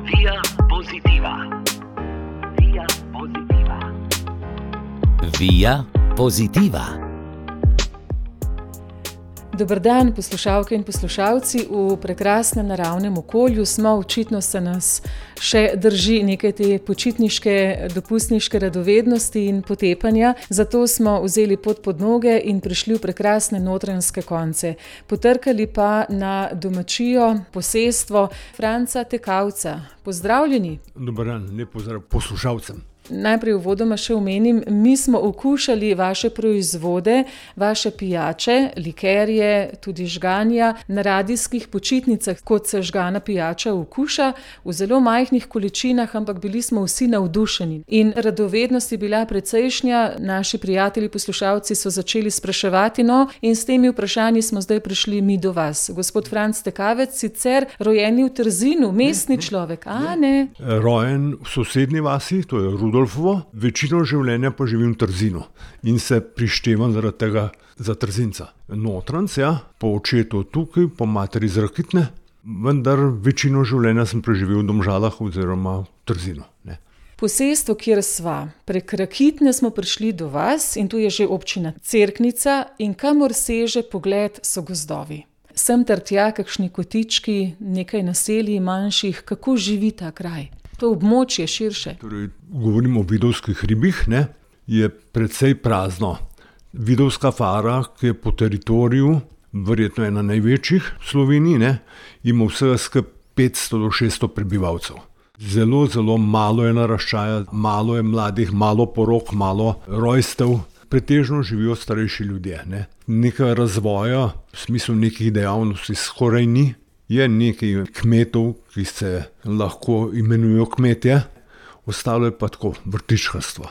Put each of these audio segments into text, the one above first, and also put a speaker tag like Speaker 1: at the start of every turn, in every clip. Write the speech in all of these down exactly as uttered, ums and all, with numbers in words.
Speaker 1: Via Positiva. Via Positiva.
Speaker 2: Via Positiva.
Speaker 3: Dober dan, poslušalke in poslušalci. V prekrasnem naravnem okolju smo, očitno se nas še drži nekaj te počitniške, dopustniške radovednosti in potepanja. Zato smo vzeli pot pod noge in prišli v prekrasne notranjske konce. Potrkali pa na domačijo, posestvo Franca Tekavca. Pozdravljeni.
Speaker 4: Dober dan, lep pozdrav poslušalcem.
Speaker 3: Najprej uvodoma še omenim, mi smo okušali vaše proizvode, vaše pijače, likerje, tudi žganja na radijskih počitnicah, kot se žgana pijača okuša, v zelo majhnih količinah, ampak bili smo vsi navdušeni. In radovednost je bila precejšnja, naši prijatelji, poslušalci so začeli spraševati, no, in s temi vprašanji smo zdaj prišli mi do vas. Gospod Franc Tekavec, sicer rojeni v Trzinu, mestni človek, a ne?
Speaker 4: Rojen v sosednji vasi, to je Rudolf. Večino življenja pa živim v Trzinu in se prištevam zaradi tega za Trzinca. Notranc, ja, po očetu tukaj, po materi iz Rakitne, vendar večino življenja sem preživel v Domžalah oziroma v Trzinu. Ne.
Speaker 3: Posestvo, kjer sva, prek Rakitne smo prišli do vas in tu je že občina Cerknica in kamor seže pogled so gozdovi. Sem ter tja, kakšni kotički, nekaj naselij manjših, kako živi ta kraj? To območje širše.
Speaker 4: Torej, govorim o Vidovskih hribih, ne, je precej prazno. Vidovska fara, ki je po teritoriju, verjetno ena največjih v Sloveniji, ne, ima vsega skupaj petsto do šeststo prebivalcev. Zelo, zelo malo je naraščaja, malo je mladih, malo porok, malo rojstev. Pretežno živijo starejši ljudje. Ne. Nekaj razvoja, v smislu nekih dejavnosti skoraj ni. Je nekaj kmetov, ki se lahko imenujejo kmetje, ostalo je pa tako vrtičkarstvo.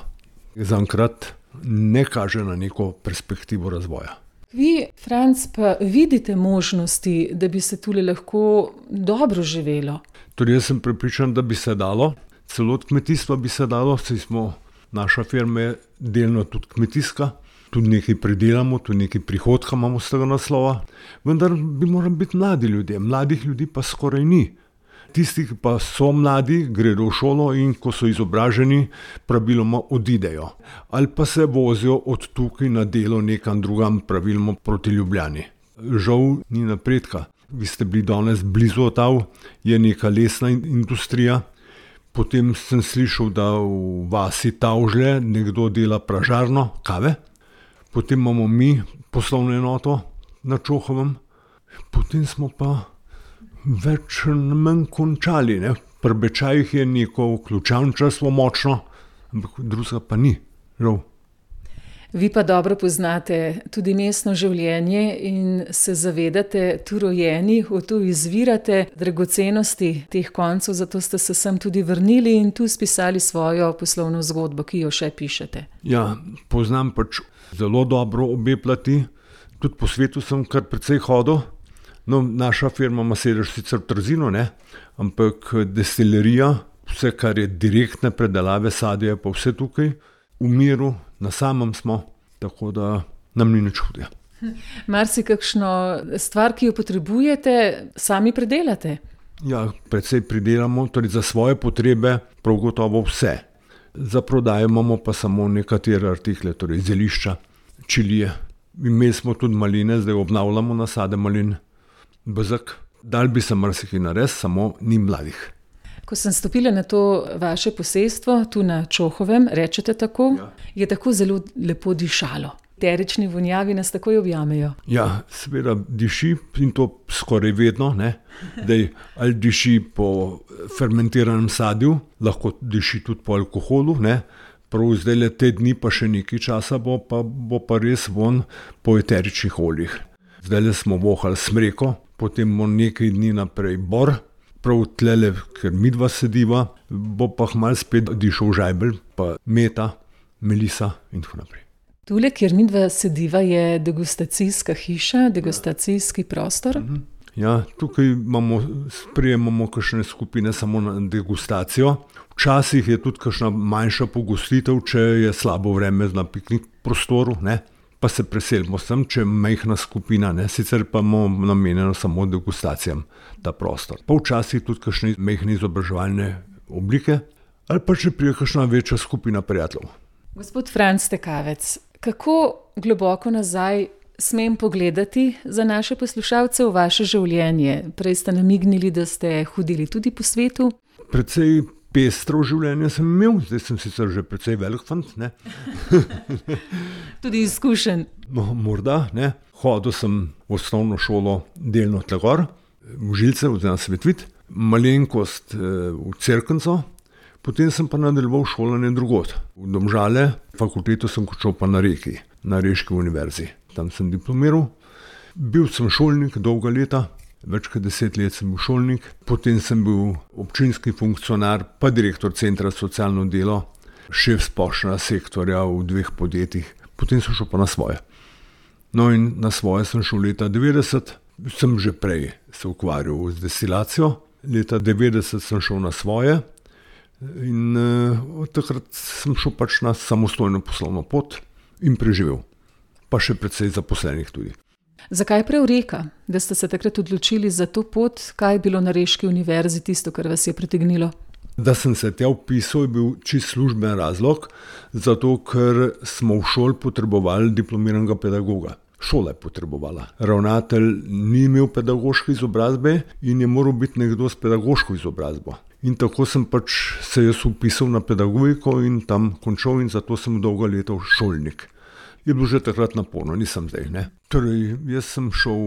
Speaker 4: Zaenkrat ne kaže na neko perspektivo razvoja.
Speaker 3: Vi, Franc, pa vidite možnosti, da bi se tule lahko dobro živelo?
Speaker 4: Torej, jaz sem prepričan, da bi se dalo. Celo od kmetijstva bi se dalo, saj smo, naša firma je delno tudi kmetijska. Tudi nekaj pridelamo, tudi nekaj prihodka imamo z tega naslova, vendar bi morali biti mladi ljudje, mladih ljudi pa skoraj ni. Tisti, ki pa so mladi, gredo v šolo in ko so izobraženi, praviloma odidejo. Ali pa se vozijo od tukaj na delo nekam drugam, praviloma proti Ljubljani. Žal ni napredka. Vi ste bili danes blizu Otav, je neka lesna industrija. Potem sem slišal, da v vasi Tavžlje nekdo dela pražarno kave. Potem imamo mi poslovno enoto na Čohovem, potem smo pa več manj končali. Ne. Pri Bečajih je neko ključavničarstvo močno, ampak drugega pa ni, žal.
Speaker 3: Vi pa dobro poznate tudi mestno življenje in se zavedate, tu rojeni, tu izvirate dragocenosti teh koncev, zato ste se sem tudi vrnili in tu spisali svojo poslovno zgodbo, ki jo še pišete.
Speaker 4: Ja, poznam pač zelo dobro obe plati, tudi po svetu sem kar precej hodil. No, naša firma ima sedež sicer v Trzinu, ne, ampak destilerija, vse kar je direktne predelave sadja, je pa vse tukaj. V miru, na samem smo, tako da nam ni nič hudega.
Speaker 3: Marsi kakšno stvar, ki jo potrebujete, sami predelate?
Speaker 4: Ja, precej pridelamo, torej za svoje potrebe prav gotovo vse. Za prodajo imamo pa samo nekatere artikle, torej zelišča, čilije. Imeli smo tudi maline, zdaj obnavljamo nasade malin, bezak. Dal bi se marsikaj narediti, samo ni mladih.
Speaker 3: Ko sem stopila na to vaše posestvo, tu na Čohovem, rečete tako, ja. Je tako zelo lepo dišalo. Eterični vonjavi nas takoj objamejo.
Speaker 4: Ja, seveda diši in to skoraj vedno, ne. Dej, ali diši po fermentiranem sadju, lahko diši tudi po alkoholu, ne. Prav zdaj te dni pa še nekaj časa bo pa, bo pa res von po eteričnih oljih. Zdaj smo vohali smreko, potem bo nekaj dni naprej bor. Prav tlele, ker midva sediva, bo pa hmal spet dišel žajbelj, pa meta, melisa in tako naprej.
Speaker 3: Tule, kjer midva sediva, je degustacijska hiša, degustacijski prostor.
Speaker 4: Ja, tukaj imamo, sprejemamo kakšne skupine samo na degustacijo. Včasih je tudi kakšna manjša pogostitev, če je slabo vreme na piknik prostoru, ne. pa se preselimo sem, če je majhna skupina, ne, sicer pa imamo namenjeno samo degustacijam ta prostor. Pa včasih tudi kakšne majhne izobraževalne oblike, ali pa če prije kakšna večja skupina prijateljev.
Speaker 3: Gospod Franc Tekavec, kako globoko nazaj smem pogledati za naše poslušalce v vaše življenje? Prej ste namignili, da ste hodili tudi po svetu.
Speaker 4: Precej pestro življenje sem imel, zdaj sem sicer že precej velik fant, ne.
Speaker 3: Tudi izkušen.
Speaker 4: No, morda, ne. Hodil sem v osnovno šolo delno tle gor, v Žilce, oziroma Svetvid, malenkost v Cerknico, potem sem pa nadaljeval šolanje drugod. V Domžale, fakulteto sem končal pa na Reki, na Reški univerzi. Tam sem diplomiral. Bil sem šolnik dolga leta, več kot deset let sem bil šolnik, potem sem bil občinski funkcionar, pa direktor centra socialno delo, šef splošnega sektorja v dveh podjetjih, potem sem šel pa na svoje. No in na svoje sem šel leta devetdeset, sem že prej se ukvarjal z destilacijo, leta devetdeset sem šel na svoje in uh, od takrat sem šel pač na samostojno poslovno pot in preživel, pa še precej zaposlenih tudi.
Speaker 3: Zakaj prav Reka, da ste se takrat odločili za to pot? Kaj je bilo na Reški univerzi tisto, kar vas je pritegnilo?
Speaker 4: Da sem se tja vpisal, je bil čist služben razlog, zato ker smo v šoli potrebovali diplomiranega pedagoga. Šola je potrebovala. Ravnatelj ni imel pedagoške izobrazbe in je moral biti nekdo s pedagoško izobrazbo. In tako sem pač se jaz vpisal na pedagogiko in tam končal in zato sem dolga leta šolnik. Je bilo že takrat naporno, nisem zdaj, ne. Torej, jaz sem šel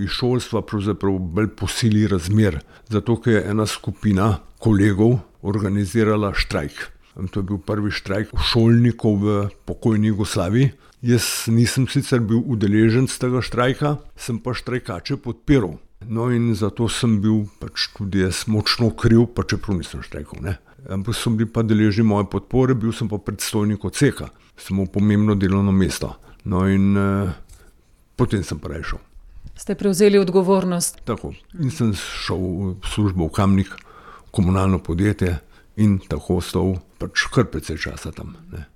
Speaker 4: iz šolstva pravzaprav bolj po sili razmer, zato ker je ena skupina kolegov organizirala štrajk. To je bil prvi štrajk šolnikov v pokojni Jugoslaviji. Jaz nisem sicer bil udeležen z tega štrajka, sem pa štrajkače podpiral. No in zato sem bil pač tudi jaz močno kriv, pa čeprav nisem štrajkal, ne. Ampak so bili pa deležni moje podpore, bil sem pa predstojnik odseka. Sem imel pomembno delovno mesto. No in eh, potem sem pa šel.
Speaker 3: Ste prevzeli odgovornost?
Speaker 4: Tako. In sem šel v službo v Kamnik, komunalno podjetje in tako ostal pač kar precej časa tam, ne.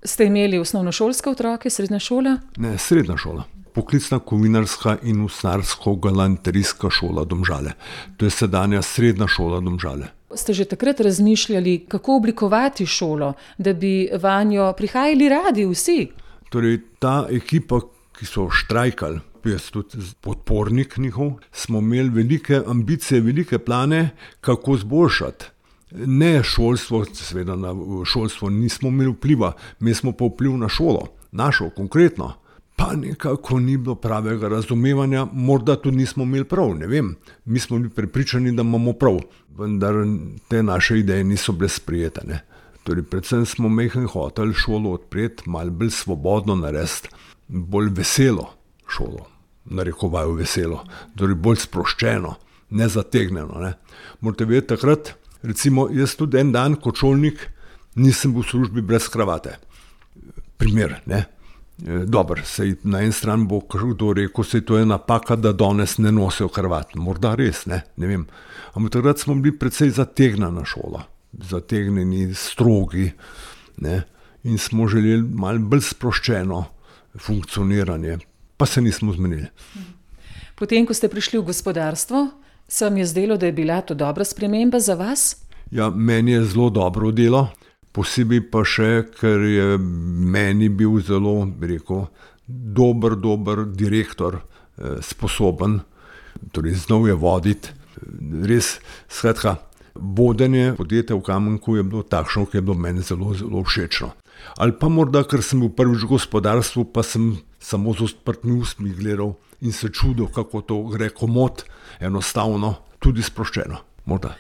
Speaker 3: Ste imeli osnovnošolske otroke, srednja šola?
Speaker 4: Ne, srednja šola. Poklicna kovinarska in usnjarsko-galanterijska šola Domžale. To je sedanja srednja šola Domžale.
Speaker 3: Ste že takrat razmišljali, kako oblikovati šolo, da bi vanjo prihajali radi vsi?
Speaker 4: Torej, ta ekipa, ki so štrajkali, jaz tudi podpornik njihov, smo imeli velike ambicije, velike plane, kako zboljšati. Ne šolstvo, seveda na šolstvo nismo imeli vpliva, mi smo pa vpliv na šolo, našo konkretno. Pa nekako ni bilo pravega razumevanja, morda tudi nismo imeli prav, ne vem. Mi smo bili prepričani, da imamo prav, vendar te naše ideje niso bile sprejete, ne. Torej, predvsem smo mehen hoteli šolo odpreti, malo bolj svobodno narediti, bolj veselo šolo, narekovajo veselo, torej bolj sproščeno, nezategnjeno, ne. Morate vedeti, takrat, recimo, jaz tudi en dan kot šolnik nisem bil v službi brez kravate. Primer, ne. Dobro, sej na en stran bo kdo rekel, sej to je napaka, da danes ne nosijo kravat. Morda res, ne, ne vem. Ampak takrat smo bili precej zategnjena šola, zategnjeni, strogi, ne, in smo želeli malo bolj sproščeno funkcioniranje, pa se nismo zmenili.
Speaker 3: Potem, ko ste prišli v gospodarstvo, se vam je zdelo, da je bila to dobra sprememba za vas?
Speaker 4: Ja, meni je zelo dobro delo. Posebej pa še, ker je meni bil zelo, bi rekel, dober, dober direktor, eh, sposoben, torej znal je voditi. Res, skratka, vodenje podjetja v Kamenku je bilo takšno, ki je bilo meni zelo, zelo všečno. Ali pa morda, ker sem bil prvič v gospodarstvu, pa sem samo z odprtimi ustmi gledal in se čudil, kako to gre komot, enostavno, tudi sproščeno, morda.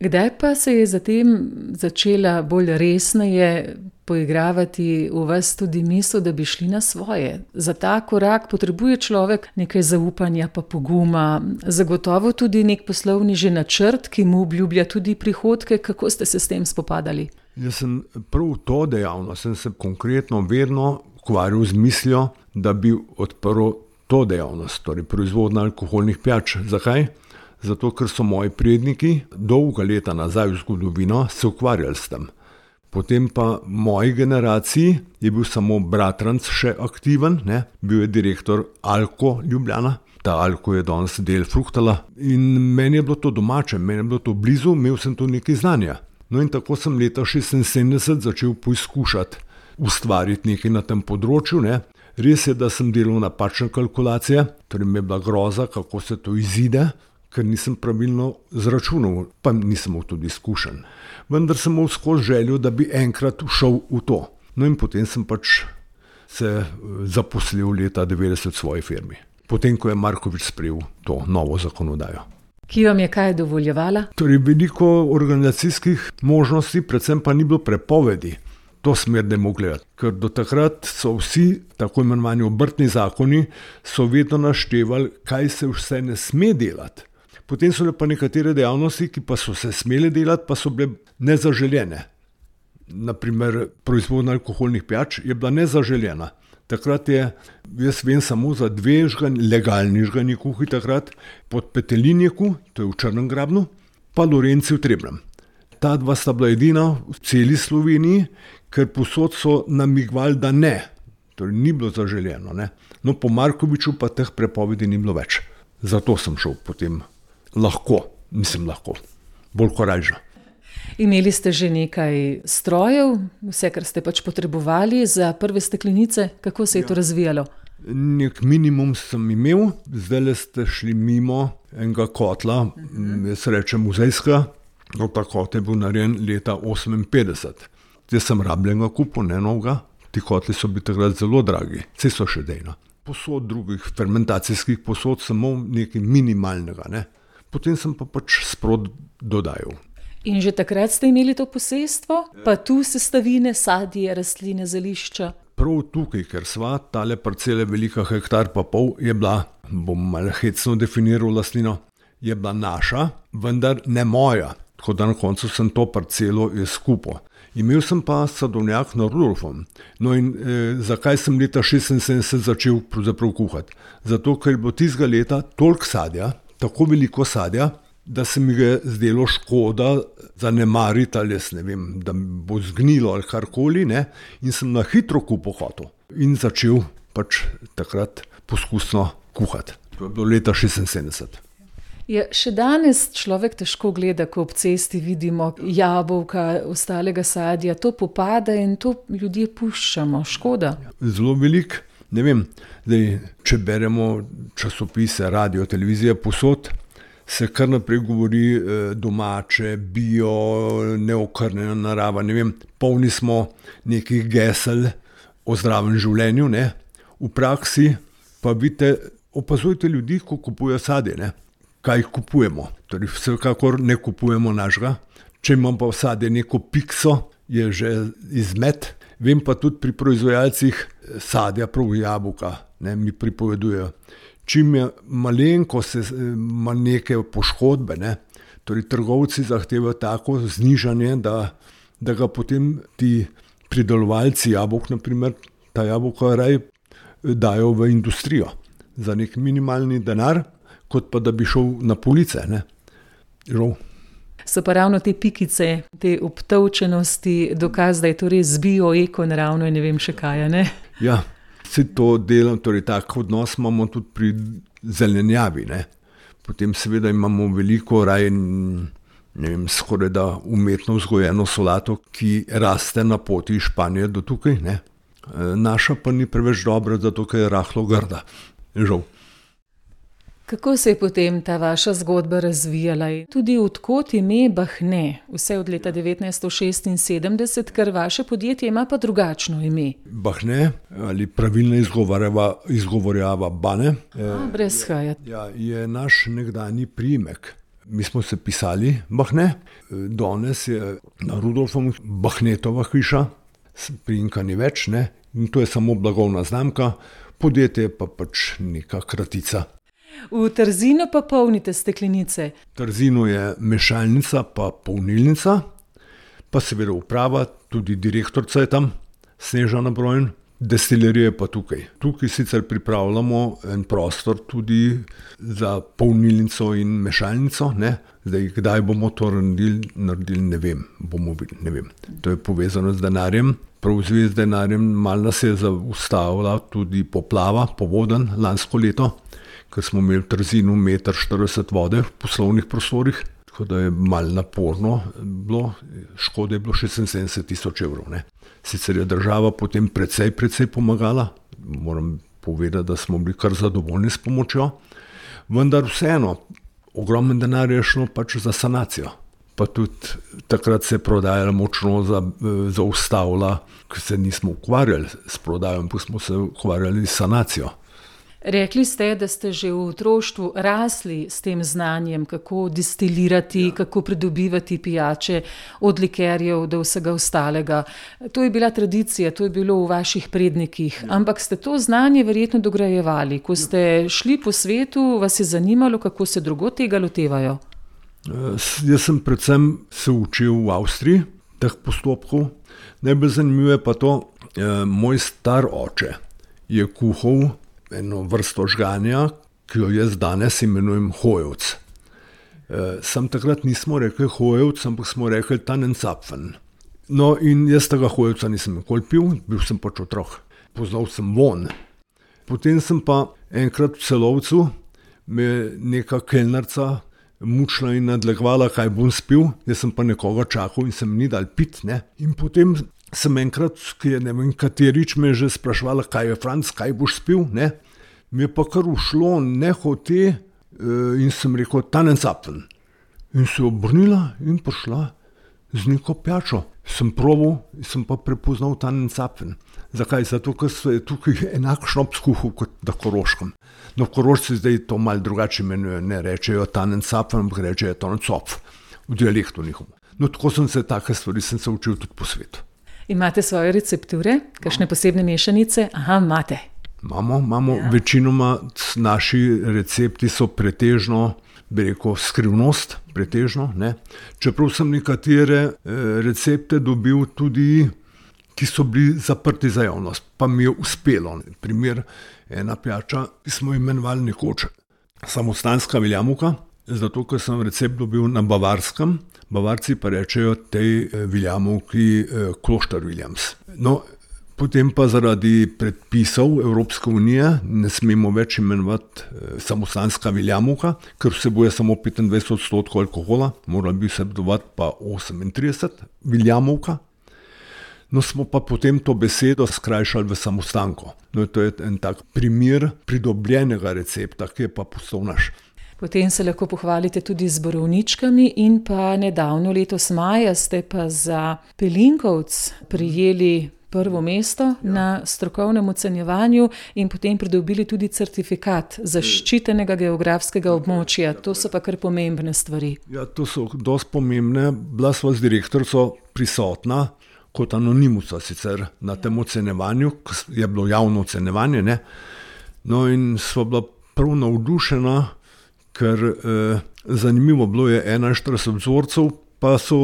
Speaker 3: Kdaj pa se je zatem začela bolj resneje poigravati v vas tudi misel, da bi šli na svoje? Za ta korak potrebuje človek nekaj zaupanja pa poguma, zagotovo tudi nek poslovni že načrt, ki mu obljublja tudi prihodke. Kako ste se s tem spopadali?
Speaker 4: Jaz sem prav to dejavnost, sem se konkretno vedno ukvarjal z mislijo, da bi odprl to dejavnost, torej proizvodnjo alkoholnih pijač. Zakaj? Zato, ker so moji predniki dolga leta nazaj v zgodovino se ukvarjali s tem. Potem pa v moji generaciji je bil samo bratranc še aktiven, ne? Bil je direktor Alko Ljubljana, ta Alko je danes del Fruktala in meni je bilo to domače, meni je bilo to blizu, imel sem tu nekaj znanja. No in tako sem leta šestinsedemdeset začel poizkušati ustvariti nekaj na tem področju, ne? Res je, da sem delal napačne kalkulacije, torej mi je bila groza, kako se to izide, ker nisem pravilno zračunal, pa nisem imel tudi izkušenj. Vendar sem imel skozi željo, da bi enkrat šel v to. No in potem sem pač se zaposlil leta devetdeset v svoji firmi. Potem, ko je Markovič sprejel to novo zakonodajo.
Speaker 3: Ki vam je kaj dovoljevala?
Speaker 4: Torej veliko organizacijskih možnosti, predvsem pa ni bilo prepovedi. To smer ne mogo gledati, ker do takrat so vsi tako imenovani obrtni zakoni so vedno naštevali, kaj se vse ne sme delati. Potem so le pa nekatere dejavnosti, ki pa so se smele delati, pa so bile nezaželjene. Naprimer, proizvodnja alkoholnih pijač je bila nezaželjena. Takrat je, jaz vem samo za dve žgan, legalni žgani kuhi takrat, pod Petelinjeku, to je v Črnem Grabnu, pa Lorenci v Trebnjem. Ta dva sta bila edina v celi Sloveniji, ker posod so namigovali, da ne. Torej ni bilo zaželjeno. Ne? No, po Markoviču pa teh prepovedi ni bilo več. Zato sem šel potem lahko, mislim lahko, bolj korajžno.
Speaker 3: Imeli ste že nekaj strojev, vse, kar ste pač potrebovali za prve steklenice? Kako se je ja. to razvijalo?
Speaker 4: Nek minimum sem imel, zdaj ste šli mimo enega kotla, uh-huh. jaz rečem muzejska, no ta kot je bil narejen leta oseminpetdeset. Jaz sem rabljenega kupil, ne novega, ti kotli so bili takrat zelo dragi, vse so še dejna. Posod drugih fermentacijskih posod sem imel nekaj minimalnega, ne. Potem sem pa pač sprot dodajal.
Speaker 3: In že takrat ste imeli to posestvo, pa tu sestavine, sadje, rastline, zelišča?
Speaker 4: Prav tukaj, ker sva, tale parcela velika hektar pa pol je bila, bom malo hecno definiral lastnino, je bila naša, vendar ne moja, tako da na koncu sem to parcelo izkupil. Imel sem pa sadovnjak na Rudolfom. No in eh, zakaj sem leta šestinsedemdeset začel pravzaprav kuhati? Zato, ker je bilo tistega leta toliko sadja, tako veliko sadja, da se mi ga zdelo škoda zanemariti ali jaz ne vem, da bo zgnilo ali karkoli, ne, in sem na hitro kupil hotel in začel pač takrat poskusno kuhati. To je bilo leta šestinsedemdeset.
Speaker 3: Je, še danes človek težko gleda, ko ob cesti vidimo jabolka, ostalega sadja, to popada in to ljudje puščamo, škoda.
Speaker 4: Zelo velik, ne vem, zdaj, če beremo časopise, radio, televizije, posod, se kar naprej govori domače, bio, neokrnjena narava, ne vem, polni smo nekih gesel o zdravem življenju, ne, v praksi pa vidite, opazujte ljudi, ko kupujejo sadje, ne. Kaj kupujemo. Torej, vsekakor ne kupujemo našega. Če imam pa v sadje neko pikso, je že izmet. Vem pa tudi pri proizvajalcih sadja, prav jabolka, ne, mi pripovedujejo. Čim je malenko se ima neke poškodbe, ne, torej trgovci zahtevajo tako znižanje, da, da ga potem ti pridelovalci jabolk, naprimer, ta jabolka raj dajo v industrijo za nek minimalni denar, kot pa da bi šel na police, ne. Žal.
Speaker 3: So pa ravno te pikice, te obtolčenosti, dokaz, da je to res bio, eko, naravno in ne vem še kaj, ne?
Speaker 4: Ja, vse to delam, torej tak odnos imamo tudi pri zelenjavi, ne. Potem seveda imamo veliko raj, ne vem, skoraj da umetno vzgojeno solato, ki raste na poti iz Španije do tukaj, ne. Naša pa ni preveč dobra, zato ker je rahlo grda. Žal.
Speaker 3: Kako se je potem ta vaša zgodba razvijala? Tudi odkot ime Bahne, vse od leta devetnajststo šestinsedemdeset, ker vaše podjetje ima pa drugačno ime.
Speaker 4: Bahne ali pravilno izgovorjava Bane.
Speaker 3: A, brez haja.
Speaker 4: Ja, je naš nekdanji priimek. Mi smo se pisali Bahne, danes je na Rudolfom Bahnetova hiša, priimka ni več, ne, in to je samo blagovna znamka, podjetje pa pač neka kratica.
Speaker 3: V Trzinu pa polnite steklenice.
Speaker 4: V Trzinu je mešalnica pa polnilnica, pa seveda uprava, tudi direktorca je tam, Snežana Brojn, Destilerija je pa tukaj. Tukaj sicer pripravljamo en prostor tudi za polnilnico in mešalnico, ne? Zdaj, kdaj bomo to naredili, naredili ne vem, bomo videli, ne vem. To je povezano z denarjem. Prav v zvezi z denarjem malo nas je zaustavila tudi poplava, povodenj lansko leto, ker smo imeli v Trzinu meter štirideset vode v poslovnih prostorih, tako da je malo naporno bilo, škode je bilo šestinsedemdeset tisoč evrov. Ne. Sicer je država potem precej, precej pomagala, moram povedati, da smo bili kar zadovoljni s pomočjo, vendar vseeno, ogromno denarja je šlo pač za sanacijo. Pa tudi takrat se je prodaja močno za, zaustavila, ker se nismo ukvarjali s prodajo, pa smo se ukvarjali s sanacijo.
Speaker 3: Rekli ste, da ste že v otroštvu rasli s tem znanjem, kako distilirati, ja. kako pridobivati pijače, od likerjev do vsega ostalega. To je bila tradicija, to je bilo v vaših prednikih, ja. ampak ste to znanje verjetno dograjevali. Ko ste šli po svetu, vas je zanimalo, kako se drugod tega lotevajo?
Speaker 4: Jaz sem predvsem se učil v Avstriji teh postopkov. Najbolj zanimivo je pa to, moj star oče je kuhal eno vrsto žganja, ki jo jaz danes imenujem hojevc. Sam takrat nismo rekli hojevc, ampak smo rekli Tannenzapfen. No in jaz tega hojevca nisem nikoli pil, bil sem pač otrok. Poznal sem von. Potem sem pa enkrat v Celovcu me neka kelnarca mučila in nadlegovala, kaj bom spil, jaz sem pa nekoga čakal in sem ni dal pit, ne. In potem sem enkrat, ki je ne vem katerič me že sprašvala, kaj je Franc, kaj boš spil, ne. Mi je pa kar ušlo nehote in sem rekel Tannenzapfen. In se obrnila in prišla z neko pijačo. Sem probal in sem pa prepoznal Tannenzapfen. Zakaj? Zato, ker se je tukaj enak šnops kuhal kot na Koroškem. No, Korošci zdaj to malo drugače imenujejo, ne rečejo Tannenzapfen, ampak rečejo Tannenzapf, v dialektu njihovo. No, tako sem se take stvari sem se učil tudi po svetu.
Speaker 3: Imate svoje recepture, kakšne posebne mešanice? Aha, imate.
Speaker 4: Imamo, imamo. Ja. Večinoma naši recepti so pretežno, bi rekel, skrivnost, pretežno, ne. Čeprav sem nekatere recepte dobil tudi, ki so bili zaprti za javnost, pa mi je uspelo. Primer, ena pijača, ki smo imenovali nekoč samostanska viljamovka, zato ker sem recept dobil na Bavarskem, Bavarci pa rečejo tej viljamovki Kloster Williams. No, potem pa zaradi predpisov Evropske unije ne smemo več imenovati samostanska viljamovka, ker vsebuje samo petindvajset odstotkov alkohola, morala bi vsebovati pa osemintrideset viljamovka. No, smo pa potem to besedo skrajšali v samostanko. No, to je en tak primer pridobljenega recepta, ki je pa postal naš.
Speaker 3: Potem se lahko pohvalite tudi z borovničkami in pa nedavno letos maja ste pa za Pelinkovec prijeli prvo mesto ja. na strokovnem ocenjevanju in potem pridobili tudi certifikat zaščitenega geografskega območja. To so pa kar pomembne stvari.
Speaker 4: Ja, to so dosti pomembne. Bila sva z direktorico prisotna kot anonimusa sicer na tem ocenjevanju, je bilo javno ocenjevanje, ne. No in sva bila prav navdušena, ker eh, zanimivo bilo je enainštirideset vzorcev, pa so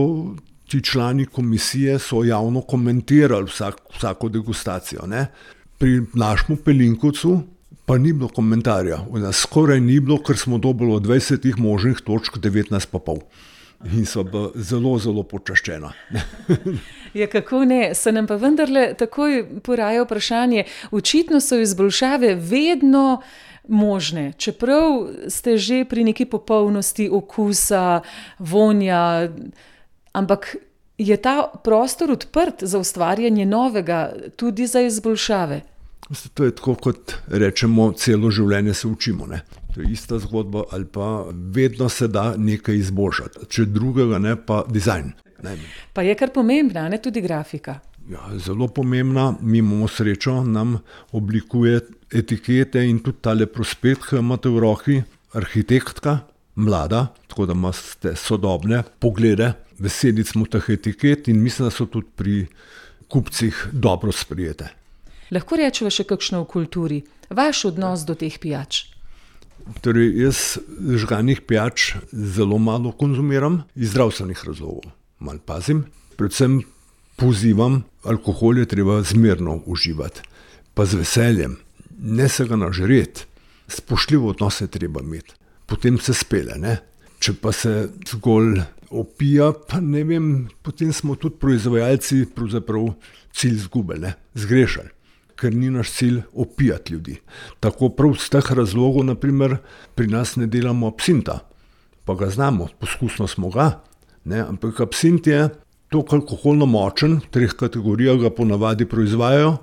Speaker 4: ti člani komisije so javno komentirali vsak, vsako degustacijo. Ne. Pri našemu Pelinkovcu pa ni bilo komentarja, skoraj ni bilo, ker smo dobili od dvajsetih možnih točk devetnajst pa pol. In so bila zelo, zelo počaščena.
Speaker 3: Ja, kako ne, se nam pa vendarle takoj poraja vprašanje, očitno so izboljšave vedno možne, čeprav ste že pri neki popolnosti okusa, vonja, ampak je ta prostor odprt za ustvarjanje novega, tudi za izboljšave?
Speaker 4: To je tako, kot rečemo, celo življenje se učimo, ne. To je ista zgodba, ali pa vedno se da nekaj izboljšati. Če drugega ne, pa dizajn. Ne.
Speaker 3: Pa je kar pomembna, ne, tudi grafika?
Speaker 4: Ja, zelo pomembna. Mi imamo srečo, nam oblikuje etikete in tudi tale prospekt, ki imate v roki, arhitektka, mlada, tako da imate sodobne poglede. Veseli smo teh etiket in mislim, da so tudi pri kupcih dobro sprejete.
Speaker 3: Lahko rečeva še kakšno v kulturi? Vaš odnos do teh pijač?
Speaker 4: Torej, jaz žganih pijač zelo malo konzumiram, iz zdravstvenih razlogov. Malo pazim. Predvsem pozivam, alkohol je treba zmerno uživati. pa z veseljem, ne se ga nažret, spoštljivo odnose treba imeti, potem se spele, ne. Če pa se zgolj opija, pa ne vem, potem smo tudi proizvajalci pravzaprav cilj zgubili, ne, zgrešali, ker ni naš cilj opijati ljudi. Tako prav z teh razlogov, naprimer, pri nas ne delamo absinta, pa ga znamo, poskusno smo ga, ne, ampak absint je toliko alkoholno močen, v treh kategorijah ga ponavadi proizvajajo,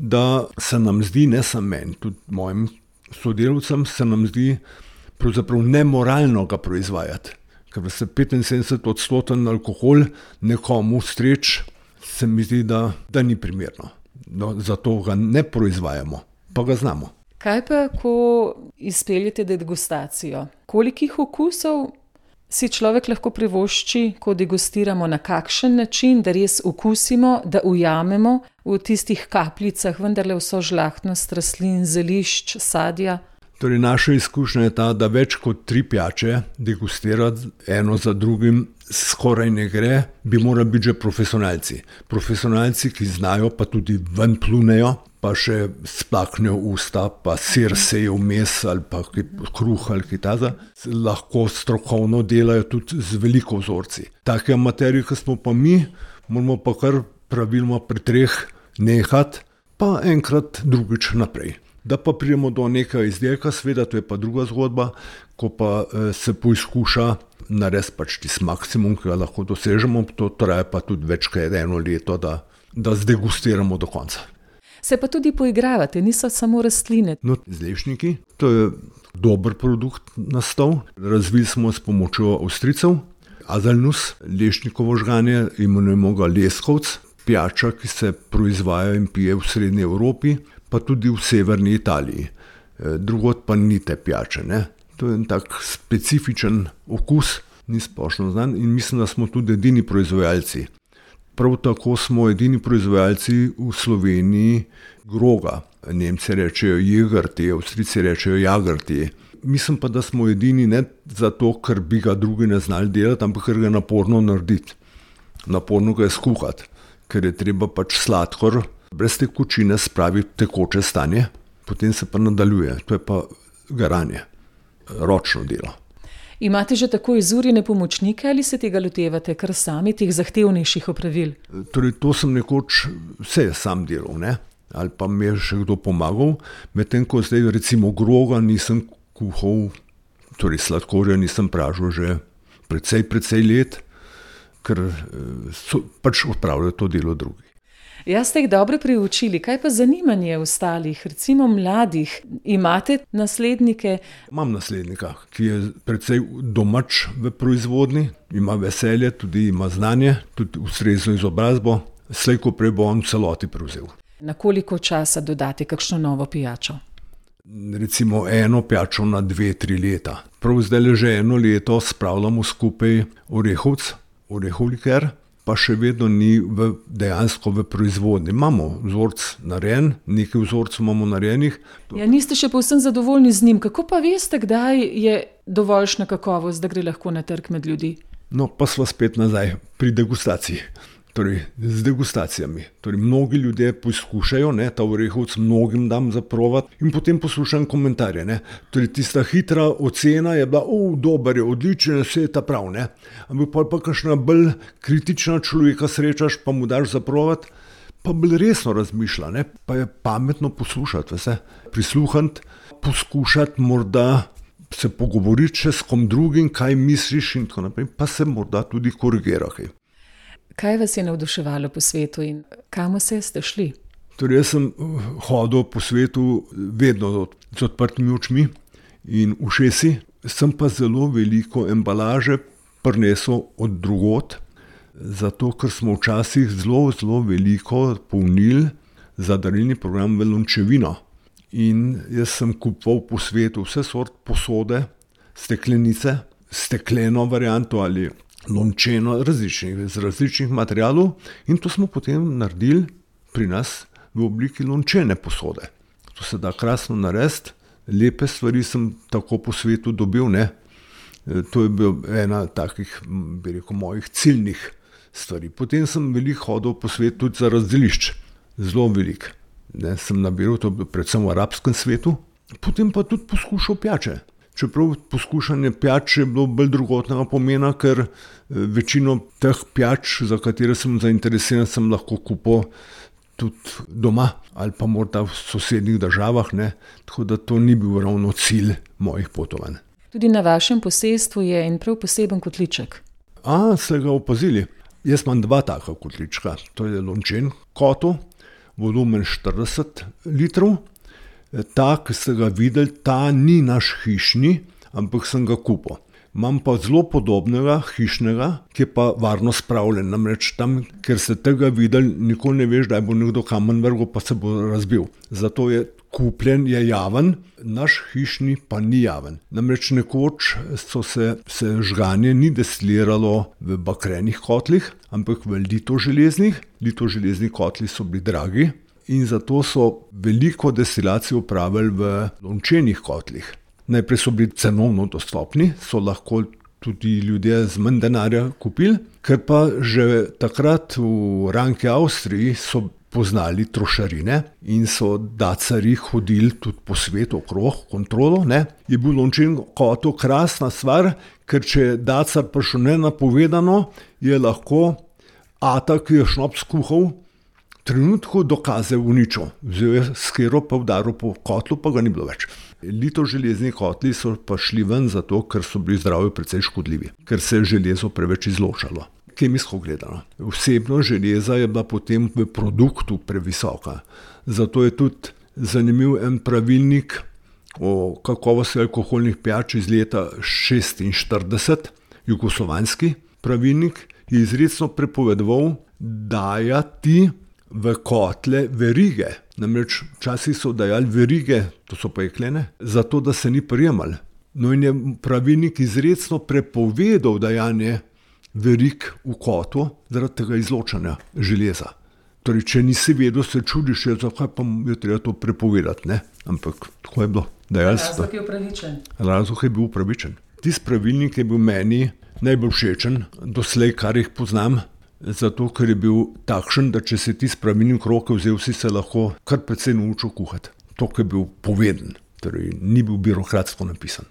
Speaker 4: da se nam zdi, ne samo meni, tudi mojim sodelavcem, se nam zdi pravzaprav nemoralno ga proizvajati. Ker se petinsedemdeset odstoten alkohol nekomu streč, se mi zdi, da, da ni primerno. No, zato ga ne proizvajamo, pa ga znamo.
Speaker 3: Kaj pa, ko izpeljete degustacijo? Kolikih okusov si človek lahko privošči, ko degustiramo, na kakšen način, da res okusimo, da ujamemo v tistih kapljicah vendarle vso žlahtnost rastlin, zelišč, sadja?
Speaker 4: Torej, naša izkušnja je ta, da več kot tri pijače degustirati eno za drugim skoraj ne gre, bi morali biti že profesionalci. Profesionalci, ki znajo, pa tudi ven plunejo, pa še splaknejo usta, pa sir sejo vmes ali pa kruh ali kaj taza, lahko strokovno delajo tudi z veliko vzorci. Take amaterji, ki smo pa mi, moramo pa kar praviloma pri treh nehati, pa enkrat drugič naprej. Da pa pridemo do nekega izdelka, seveda, to je pa druga zgodba, ko pa eh, se poizkuša narediti pač tisti maksimum, ki ga lahko dosežemo, to traja pa tudi več kot eno leto, da, da zdegustiramo do konca.
Speaker 3: Se pa tudi poigravate, niso samo rastline.
Speaker 4: No, z lešniki, to je dober produkt nastal, razvili smo s pomočjo Avstrijcev, Haselnuss, lešnikovo žganje, imenujemo ga leskovc, pijača, ki se proizvaja in pije v srednji Evropi, pa tudi v severni Italiji. Drugod pa ni te pijače, ne. To je en tak specifičen okus, ni splošno znan in mislim, da smo tudi edini proizvajalci. Prav tako smo edini proizvajalci v Sloveniji groga. Nemci rečejo Jägertee, Avstrijci rečejo Jagertee. Mislim pa, da smo edini ne zato, ker bi ga drugi ne znali delati, ampak ker ga je naporno narediti. Naporno ga je skuhati, ker je treba pač sladkor brez tekočine spraviti v tekoče stanje, potem se pa nadaljuje. To je pa garanje, ročno delo.
Speaker 3: Imate že tako izurjene pomočnike ali se tega lotevate kar sami, teh zahtevnejših opravil?
Speaker 4: Torej, to sem nekoč vse sam delal, ne? Ali pa mi je še kdo pomagal, medtem ko zdaj recimo groga nisem kuhal, torej sladkorja nisem pražil že precej, precej let, ker so pač odpravljajo to delo drugi.
Speaker 3: Jaz ste jih dobro priučili, kaj pa zanimanje ostalih, recimo mladih? Imate naslednike?
Speaker 4: Imam naslednika, ki je precej domač v proizvodnji, ima veselje, tudi ima znanje, tudi ustrezno izobrazbo, slej ko prej bo on v celoti prevzel.
Speaker 3: Na koliko časa dodate kakšno novo pijačo?
Speaker 4: Recimo eno pijačo na dve, tri leta. Prav zdaj že eno leto spravljamo skupaj orehovc, orehov liker, pa še vedno ni v, dejansko v proizvodnji. Imamo vzorc narejen, nekaj vzorcev imamo narejenih.
Speaker 3: Ja, niste še povsem zadovoljni z njim. Kako pa veste, kdaj je dovoljšna kakovost, da gre lahko na trg med ljudi?
Speaker 4: No, pa sva spet nazaj pri degustaciji. Torej, z degustacijami. Torej, mnogi ljudje poskušajo, ne, ta orehovc mnogim dam za provat in potem poslušam komentarje, ne. Torej, tista hitra ocena je bila, o, dober je, odličen, vse je ta prav, ne. Ampak pa, pa kakšna bolj kritična človeka srečaš, pa mu daš za provat, pa bolj resno razmišlja, ne. Pa je pametno poslušati vse, prisluhati, poskušati morda se pogovoriti še s kom drugim, kaj misliš in tako naprej, pa se morda tudi korigirati.
Speaker 3: Kaj vas je navduševalo po svetu in kam vse ste šli?
Speaker 4: Torej, jaz sem hodil po svetu vedno z odprtimi očmi in ušesi, sem pa zelo veliko embalaže prinesel od drugod, zato ker smo včasih zelo, zelo veliko polnili za darilni program v lončevino. In jaz sem kupoval po svetu vse sort posode, steklenice, stekleno varianto ali lončeno različnih, z različnih materialov in to smo potem naredili pri nas v obliki lončene posode. To se da krasno narediti, lepe stvari sem tako po svetu dobil, ne. To je bil ena takih, bi rekel, mojih ciljnih stvari. Potem sem veliko hodil po svetu tudi za razdelišč, zelo veliko. ne, sem nabiral, to predvsem v arabskem svetu, potem pa tudi poskušal pijače. Čeprav poskušanje pijač je bilo bolj drugotnega pomena, ker večino teh pijač, za katere sem zainteresiran, sem lahko kupil tudi doma ali pa morda v sosednjih državah, ne, tako da to ni bil ravno cilj mojih potovanj.
Speaker 3: Tudi na vašem posestvu je en prav poseben kotliček.
Speaker 4: A, ste ga opazili? Jaz imam dva taka kotlička. To je lončen kotel, volumen štirideset litrov. Ta, ki ste ga videli, ta ni naš hišni, ampak sem ga kupil. Imam pa zelo podobnega hišnega, ki je pa varno spravljen. Namreč tam, ker ste tega videli, nikoli ne veš, da bo nekdo kamen vrgel, pa se bo razbil. Zato je kupljen, je javen, naš hišni pa ni javen. Namreč nekoč so se, se žganje ni destiliralo v bakrenih kotlih, ampak v litoželeznih. Litoželezni kotli so bili dragi in zato so veliko destilacijo opravili v lončenih kotlih. Najprej so bili cenovno dostopni, so lahko tudi ljudje z manj denarja kupili, ker pa že takrat v Ranki Avstriji so poznali trošarine in so dacarji hodili tudi po svetu okrog kontrolo. Ne. Je bil lončen kotel krasna stvar, ker če je dacar prišel nenapovedano, je lahko ata, ki je šnops kuhal, trenutku dokaze uničil. Vzel je skero pa udaril po kotlu, pa ga ni bilo več. Litoželezni kotli so pa šli ven zato, ker so bili zdravju precej škodljivi, ker se je železo preveč izločalo. Kemijsko gledano. Vsebnost železa je bila potem v produktu previsoka. Zato je tudi zanimiv en pravilnik o kakovosti alkoholnih pijač iz leta šestinštirideset, jugoslovanski pravilnik, je izrecno prepovedoval dajati v kotle verige. Namreč včasih so dajali verige, to so pa jeklene, zato da se ni prijemali. No in je pravilnik izrecno prepovedal dajanje verig v kotlu zaradi tega izločanja železa. Torej, če nisi vedel, se čudiš, zakaj pa je treba to prepovedati, ne? Ampak tako je bilo.
Speaker 3: Razlog je upravičen.
Speaker 4: Razlog je bil upravičen. Tisti pravilnik je bil meni najbolj všečen, doslej, kar jih poznam, zato ker je bil takšen, da če se ti s pravilnik roke vzel, si se lahko kar precej naučil kuhati. To, ki je bil poveden, torej ni bil birokratsko napisan.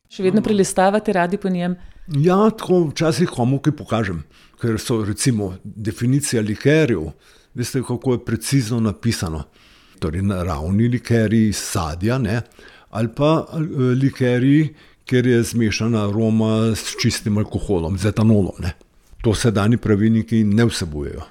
Speaker 3: Še vedno prelistavate radi po njem?
Speaker 4: Ja, tako včasih komu kaj pokažem, ker so recimo definicija likerjev, veste, kako je precizno napisano. Torej naravni likerji iz sadja, ne, ali pa likerji, kjer je zmešana aroma s čistim alkoholom, z etanolom, ne. To sedajni pravilniki ne vsebujejo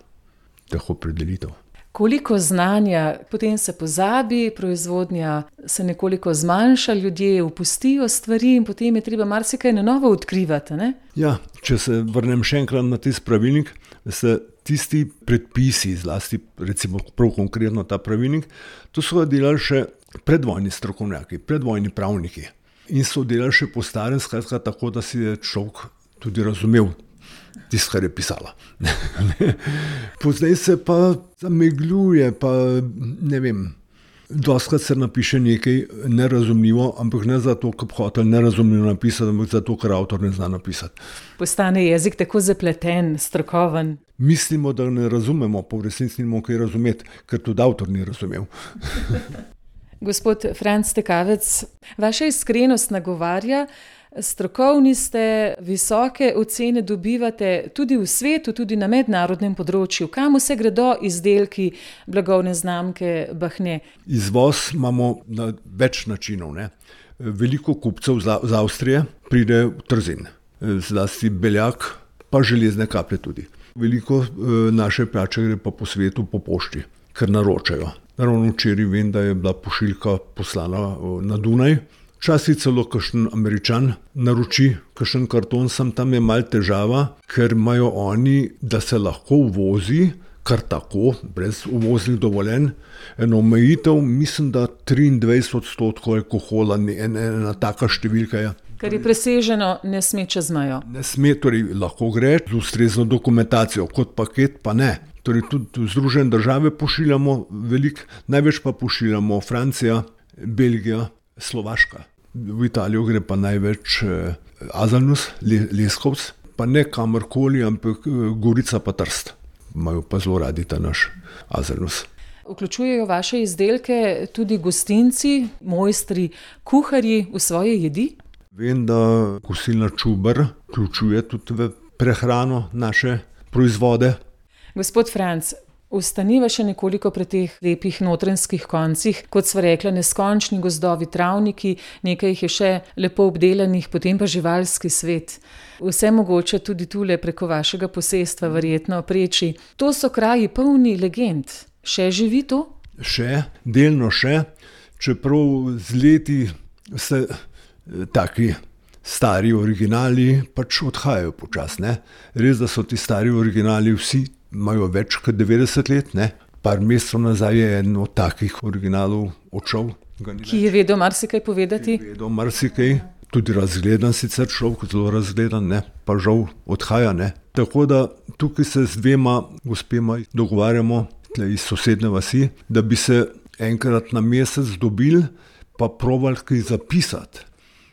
Speaker 4: teh opredelitev.
Speaker 3: Koliko znanja, potem se pozabi, proizvodnja se nekoliko zmanjša, ljudje opustijo stvari in potem je treba marsikaj na novo odkrivati, ne?
Speaker 4: Ja, če se vrnem še enkrat na tisti pravilnik, se tisti predpisi, zlasti recimo prav konkretno ta pravilnik, to so delali še predvojni strokovnjaki, predvojni pravniki in so delali še po starem, skratka tako, da si je človek tudi razumel tisto, kar je pisala. Pozdaj se pa zamegljuje, pa ne vem, dostakrat se napiše nekaj nerazumljivo, ampak ne zato, ker bi hotel nerazumljivo napisati, ampak zato, ker avtor ne zna napisati.
Speaker 3: Postane jezik tako zapleten, strokoven.
Speaker 4: Mislimo, da ne razumemo, pa v resnici nimamo kaj razumeti, ker tudi avtor ni razumel.
Speaker 3: Gospod Franc Tekavec, vaša iskrenost nagovarja, strokovni ste, visoke ocene dobivate tudi v svetu, tudi na mednarodnem področju. Kam vse gredo izdelki blagovne znamke Bahne?
Speaker 4: Izvoz imamo na več načinov, ne. Veliko kupcev z Avstrije pride v Trzin, zlasti beljak, pa železne kaplje tudi. Veliko naše pijače gre pa po svetu po pošti, ker naročajo. Ravno včeraj vem, da je bila pošiljka poslana na Dunaj. Včasih celo kakšen Američan naroči kakšen karton, sem tam je malo težava, ker imajo oni, da se lahko uvozi kar tako, brez uvoznih dovoljenj, eno omejitev, mislim, da triindvajset odstotkov alkohola, ena, ena taka številka je.
Speaker 3: Ker je preseženo, ne sme čez mejo.
Speaker 4: Ne sme, torej lahko gre z ustrezno dokumentacijo, kot paket pa ne. Torej tudi v Združene države pošiljamo veliko, največ pa pošiljamo Francija, Belgija, Slovaška. V Italijo gre pa največ eh, Azalnus, Leskovc, pa ne kamorkoli, ampak eh, Gorica pa Trst. Imajo pa zelo radi ta naš Azalnus.
Speaker 3: Vključujejo vaše izdelke tudi gostinci, mojstri, kuharji v svoje jedi?
Speaker 4: Vem, da kosilna Čuber vključuje tudi v prehrano naše proizvode.
Speaker 3: Gospod Franc, ostaniva še nekoliko pri teh lepih notranjskih koncih, kot sva rekla, neskončni gozdovi, travniki, nekaj jih je še lepo obdelanih, potem pa živalski svet. Vse mogoče tudi tule preko vašega posestva verjetno preči. To so kraji polni legend. Še živi to?
Speaker 4: Še, delno še, čeprav z leti se taki stari originali pač odhajajo počasi, ne. Res, da so ti stari originali vsi imajo več kot devetdeset let, ne. Par mesecev nazaj je en od takih originalov odšel.
Speaker 3: Ki je vedel marsikaj povedati?
Speaker 4: Ki je vedel marsikaj, tudi razgledan sicer človek, zelo razgledan, ne, pa žal odhaja, ne. Tako da tukaj se z dvema gospema dogovarjamo, tle iz sosednje vasi, da bi se enkrat na mesec dobili pa probali kaj zapisati.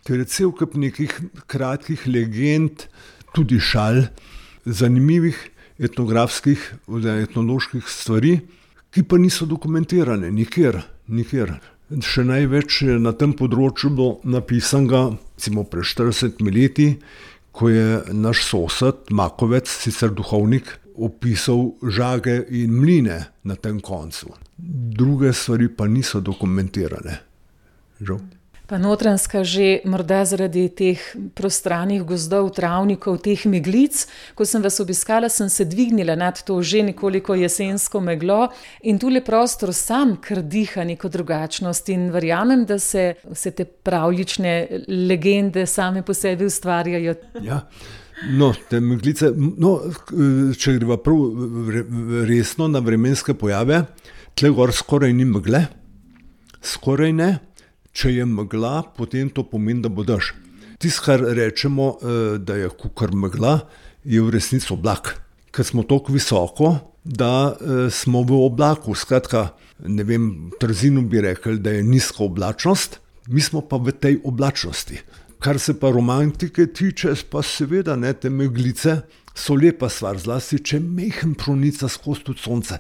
Speaker 4: Ker je cel kup nekih kratkih legend, tudi šal, zanimivih etnografskih oziroma etnoloških stvari, ki pa niso dokumentirane nikjer, nikjer. Še največ na tem področju bilo napisanega, recimo pred štiridesetimi leti, ko je naš sosed, Makovec, sicer duhovnik, opisal žage in mline na tem koncu. Druge stvari pa niso dokumentirane. Žal.
Speaker 3: Pa Notranjska že morda zaradi teh prostranih gozdov, travnikov, teh meglic. Ko sem vas obiskala, sem se dvignila nad to že nekoliko jesensko meglo in tule prostor sam kar diha neko drugačnost in verjamem, da se vse te pravljične legende same po sebi ustvarjajo.
Speaker 4: Ja, no, te meglice, no, če greva prav resno na vremenske pojave, tle gor skoraj ni megle, skoraj ne. Če je megla, potem to pomeni, da bo dež. Tisto, kar rečemo, da je kakor megla, je v resnici oblak. Ker smo toliko visoko, da smo v oblaku. Skratka, ne vem, v Trzinu bi rekli, da je nizka oblačnost, mi smo pa v tej oblačnosti. Kar se pa romantike tiče, pa seveda ne, te meglice so lepa stvar, zlasti, če mehen pronica skozi tudi sonce.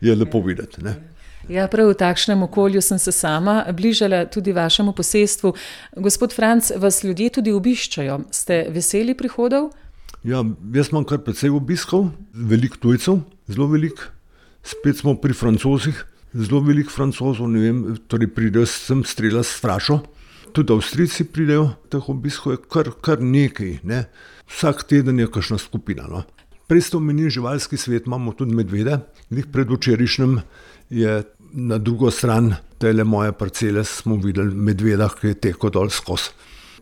Speaker 4: Je lepo videti, ne.
Speaker 3: Ja, prav v takšnem okolju sem se sama bližala tudi vašemu posestvu. Gospod Franc, vas ljudje tudi obiščajo. Ste veseli prihodov?
Speaker 4: Ja, jaz imam kar precej obiskov, veliko tujcev, zelo veliko. Spet smo pri Francozih, zelo veliko Francozov, ne vem, torej pridejo sem strela s frašo. Tudi Avstrijci pridejo, teh obiskov je kar, kar nekaj, ne. Vsak teden je kakšna skupina, no. Prej ste omenili živalski svet, imamo tudi medvede. Njih predvčerajšnjem je na drugo stran tele moje parcele smo videli medveda, ki je tekel dol skozi.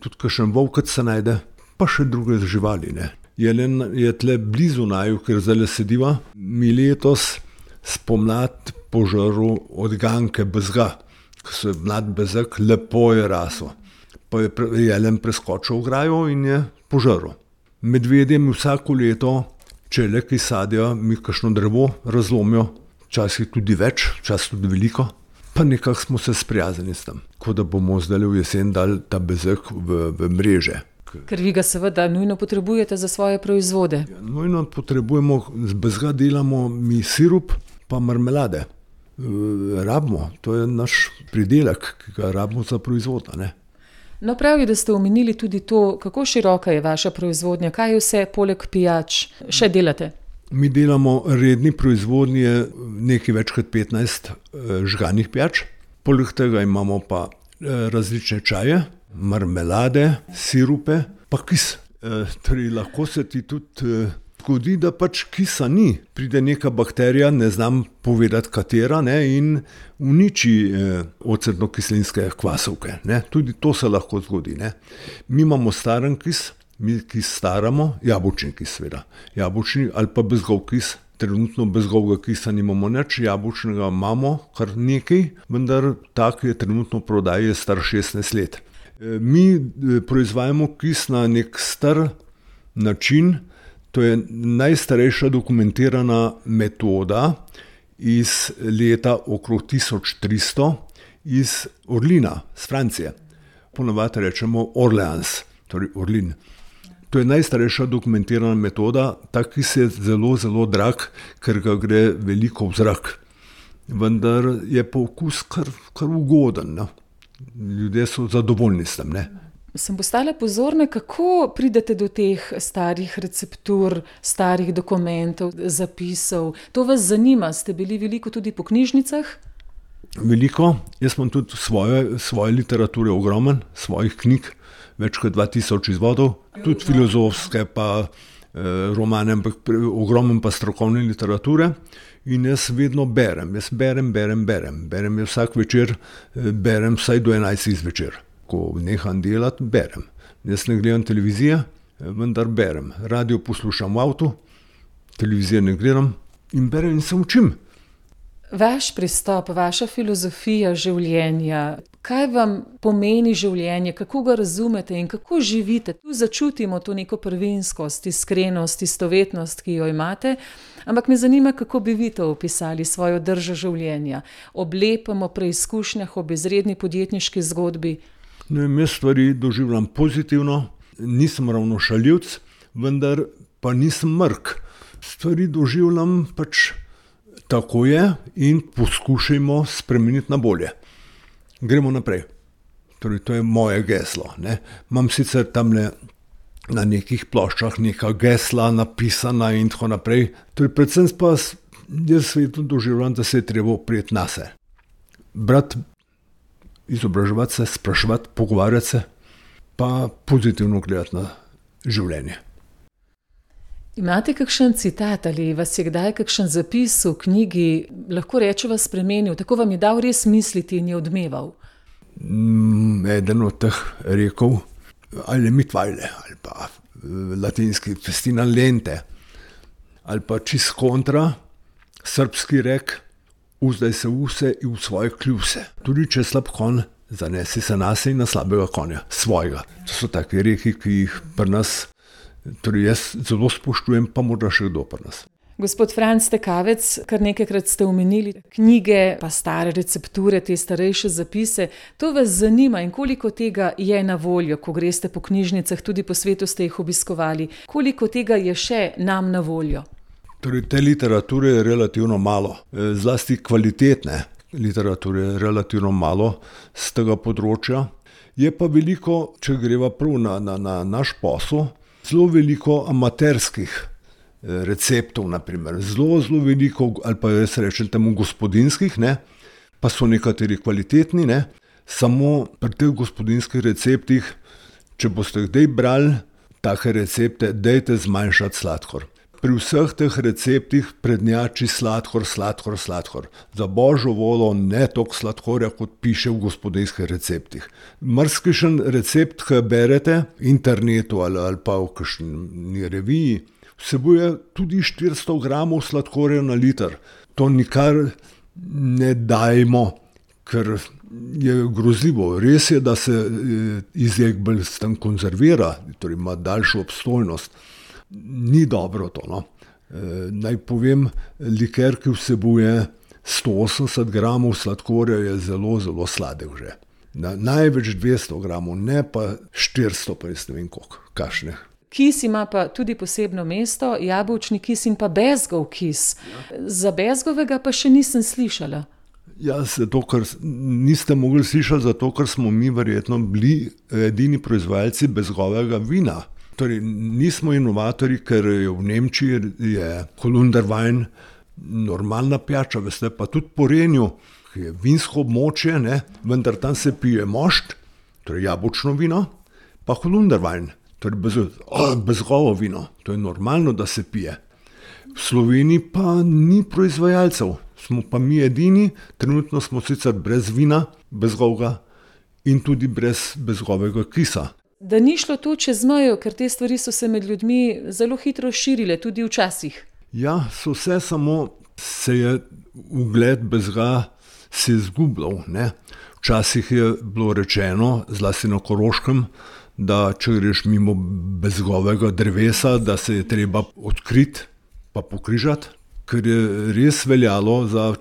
Speaker 4: Tudi kakšen volkec se najde, pa še druge živali, ne. Jelen je tle blizu naju, ker zdaj sediva. Mi letos spomlad požrl odganke bezga, ki so mlad bezek, lepo je rasel. Pa je jelen preskočil ograjo in je požrl. Medvedje mi vsako leto, če le kaj sadijo, mi kakšno drevo razlomijo, včasih tudi več, včasih tudi veliko, pa nekako smo se sprijaznili s tem, kot da bomo zdaj v jesen dali ta bezek v, v mreže.
Speaker 3: Ker vi ga seveda nujno potrebujete za svoje proizvode.
Speaker 4: Ja, nujno potrebujemo, z bezga delamo mi sirup pa marmelade. E, rabimo, to je naš pridelek, ki ga rabimo za proizvod, ne.
Speaker 3: No, prav je, da ste omenili tudi to, kako široka je vaša proizvodnja, kaj vse poleg pijač še delate?
Speaker 4: Mi delamo redni proizvodnje nekaj več kot petnajst žganih pijač. Poleg tega imamo pa različne čaje, marmelade, sirupe, pa kis. E, torej lahko se ti tudi zgodi, da pač kisa ni. Pride neka bakterija, ne znam povedati katera, ne, in uniči eh, ocetno-kislinske kvasovke, ne. Tudi to se lahko zgodi, ne. Mi imamo staren kis, mi kis staramo, jabolčni kis seveda. Jabolčni ali pa bezgov kis. Trenutno bezgovega kisa nimamo nič, jabolčnega imamo kar nekaj, vendar tak je trenutno v prodaji, je star šestnajst let. E, mi proizvajamo kis na nek star način. To je najstarejša dokumentirana metoda iz leta okrog tisoč tristo iz Orlina, z Francije. Ponavadi rečemo Orleans, torej Orlin. To je najstarejša dokumentirana metoda, ta kis je zelo, zelo drag, ker ga gre veliko v zrak. vendar je pa okus kar, kar ugoden. Ne? Ljudje so zadovoljni s tem. Ne?
Speaker 3: Sem postala pozorna, kako pridete do teh starih receptur, starih dokumentov, zapisov. To vas zanima? Ste bili veliko tudi po knjižnicah?
Speaker 4: Veliko. Jaz imam tudi svoje, svoje literature ogromen, svojih knjig, več kot dva tisoč izvodov, tudi filozofske, pa eh, romane, ampak ogromen pa strokovne literature. In jaz vedno berem, jaz berem, berem, berem. Berem je vsak večer, berem vsaj do enajstih zvečer. Ko neham delati, berem. Jaz ne gledam televizije, vendar berem. Radio poslušam v avtu, televizije ne gledam in berem in se učim.
Speaker 3: Vaš pristop, vaša filozofija življenja, kaj vam pomeni življenje, kako ga razumete in kako živite? Tu začutimo to neko prvinskost, iskrenost, istovetnost, ki jo imate, ampak me zanima, kako bi vi to opisali, svojo držo življenja. Ob lepem, ob preizkušnjah, ob izredni podjetniški zgodbi.
Speaker 4: Ne vem, jaz stvari doživljam pozitivno, nisem ravno šaljivc, vendar pa nisem mrk. Stvari doživljam pač tako je in poskušajmo spremeniti na bolje. Gremo naprej. Torej, to je moje geslo. Ne? Imam sicer tamle na nekih ploščah neka gesla napisana in tako naprej. Torej, predvsem pa jaz svetu doživljam, da se je treba oprijeti nase. Brat, izobraževati se, spraševati, pogovarjati se, pa pozitivno gledati na življenje.
Speaker 3: Imate kakšen citat ali vas je kdaj kakšen zapis v knjigi, lahko rečeva, spremenil, tako vam je dal res misliti in je odmeval?
Speaker 4: Mm, eden od teh rekel, ali mitvajle, ali pa latinski festina lente, ali pa čist kontra, srpski rek, uzdaj se vse in v svoje kljuse. Tudi če slab konj, zanesi se nase in na slabega konja, svojega. To so take reki, ki jih pri nas, torej jaz zelo spoštujem, pa morda še kdo pri nas.
Speaker 3: Gospod Franc Tekavec, kar nekajkrat ste omenili knjige, pa stare recepture, te starejše zapise. To vas zanima in koliko tega je na voljo, ko greste po knjižnicah, tudi po svetu ste jih obiskovali. Koliko tega je še nam na voljo?
Speaker 4: Torej, te literature je relativno malo, zlasti kvalitetne literature je relativno malo z tega področja. Je pa veliko, če greva prav na, na, na naš posel, zelo veliko amaterskih receptov, naprimer. Zelo, zelo veliko, ali pa jaz rečem temu gospodinskih, ne? Pa so nekateri kvalitetni, ne? Samo pri teh gospodinskih receptih, če boste kdaj brali take recepte, dajte zmanjšati sladkor. Pri vseh teh receptih prednjači sladkor, sladkor, sladkor. Za božjo voljo ne toliko sladkorja, kot piše v gospodinjskih receptih. Marsikšen recept, ki berete v internetu ali, ali pa v kakšni reviji, vsebuje tudi štiristo gramov sladkorja na liter. To nikar ne dajmo, ker je grozljivo. Res je, da se izjed bolj s tem konzervira, torej ima daljšo obstojnost. Ni dobro to, no. E, naj povem, liker, ki vsebuje sto osemdeset gramov sladkorja, je zelo, zelo sladek že. Na, največ dvesto gramov, ne pa štiristo, pa jaz ne vem koliko, kakšne.
Speaker 3: Kis ima pa tudi posebno mesto, jabolčni kis in pa bezgov kis. Za bezgovega pa še nisem slišala.
Speaker 4: Ja, zato, ker niste mogli slišati, zato, ker smo mi verjetno bili edini proizvajalci bezgovega vina. Torej, nismo inovatorji, ker je v Nemčiji je Holunderwein normalna pijača, veste, pa tudi po Renju, ki je vinsko območje, ne, vendar tam se pije mošt, torej jabolčno vino, pa Holunderwein, torej bez, oh, bezgovo vino, to je normalno, da se pije. V Sloveniji pa ni proizvajalcev, smo pa mi edini, trenutno smo sicer brez vina, bezgovega in tudi brez bezgovega kisa.
Speaker 3: Da ni šlo to čez mejo, ker te stvari so se med ljudmi zelo hitro širile, tudi včasih.
Speaker 4: Ja, so vse, samo se je ugled bezga se izgubljal, ne. Včasih je bilo rečeno, zlasti na Koroškem, da če greš mimo bezgovega drevesa, da se je treba odkriti pa pokrižati, ker je res veljalo za